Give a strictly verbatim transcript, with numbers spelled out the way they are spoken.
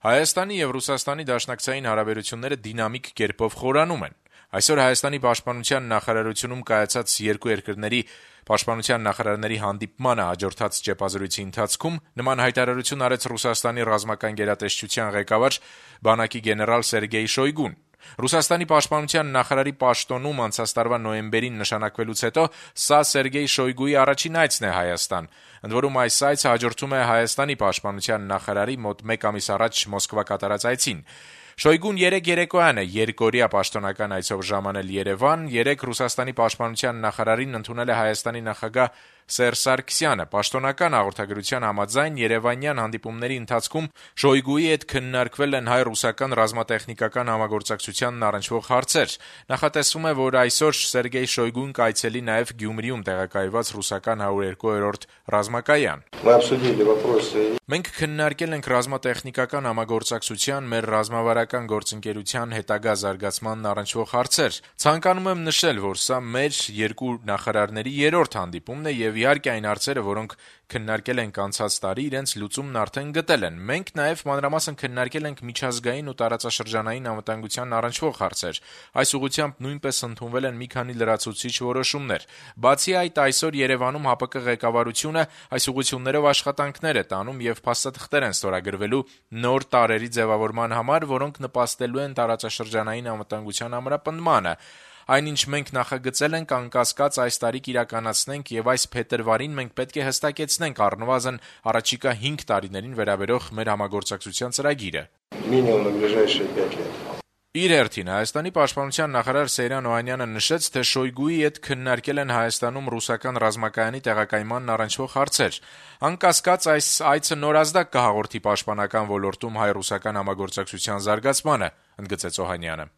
Հայաստանի եւ Ռուսաստանի դաշնակցային հարաբերությունները դինամիկ կերպով խորանում են։ Այսօր Հայաստանի պաշտպանության նախարարությունում կայացած երկու երկրների պաշտպանության նախարարների հանդիպմանը հաջորդած ճեպազրույցի ընթացքում նման հայտարարություն արեց Ռուսաստանի ռազմական գերատեսչության ղեկավար բանակի գեներալ Սերգեյ Շոյգուն։ Ռուսաստանի պաշտպանության նախարարի պաշտոնում անցած տարվա նոյեմբերին նշանակվելուց հետո սա Սերգեյ Շոյգուի առաջին այցն է Հայաստան։ Ընդ որում այս այցը հաջորդում է Հայաստանի պաշտպանության նախարարի մոտ մեկ ամիս առաջ Մոսկվա կատարած այցին։ Շոյգուն երեկ երեկոյան է երկօրյա պաշտոնական այցով ժամանել Երևան, երեկ Ռուսաստանի պաշտպանության նախարարին ընդունել է Հայաստանի նախագահ Սերժ Սարգսյանը։ Պաշտոնական հաղորդագրության համաձայն երևանյան հանդիպումների ընթացքում Շոյգուի հետ քննարկվել են հայ-ռուսական ռազմատեխնիկական համագործակցությանն առնչվող հարցեր։ Նախատեսվում է, որ այսօր Սերգեյ Շոյգուն կայցելի նաև Գյումրիում տեղակայված ռուսական հարյուր երկու-րդ ռազմակայան։ Մենք քննարկել ենք ռազմատեխնիկական համագործակցության, մեր ռազմավարական գործընկերության հետագա զարգացմանն առնչվող հարցեր։ Ցանկանում եմ նշել, որ սա մեր երկու նախարարների երրորդ հանդիպումն է եւ իհարկե այն հարցերը, որոնք քննարկել ենք անցած տարի, իրենց լուծումն արդեն գտել են։ Մենք նաև մանրամասն քննարկել ենք միջազգային ու տարածաշրջանային անվտանգության առնչվող հարցեր։ Այս ուղղությամբ նույնպես ընդունվել են մի քանի լրացուցիչ որոշումներ։ Բացի այդ, այսօր Երևանում ՀԱՊԿ ղեկավարությունը այս ուղղություններով աշխատանքներ է տանում եւ փաստաթղթեր են ստորագրվելու նոր տարրերի ձևավորման համար, որոնք նպաստելու են տարածաշրջանային անվտանգության ամրապնդմանը։ Այնինչ մենք նախագծել ենք անկասկած այս տարի կիրականացնենք եւ այս փետրվարին մենք պետք է հստակեցնենք առնվազն առաջիկա հինգ տարիներին վերաբերող մեր համագործակցության ծրագիրը։ Իր հերթին Հայաստանի պաշտպանության նախարար Սեյրան Օհանյանը նշեց, թե Շոյգուի հետ քննարկել են Հայաստանում ռուսական ռազմակայանի տեղակայմանն առնչվող հարցեր։ Անկասկած այս այցը նորազդակ կհաղորդի պաշտպանական ոլորտում հայ-ռուսական համագործակցության զարգացմանը, ընդգծեց Օհանյանը։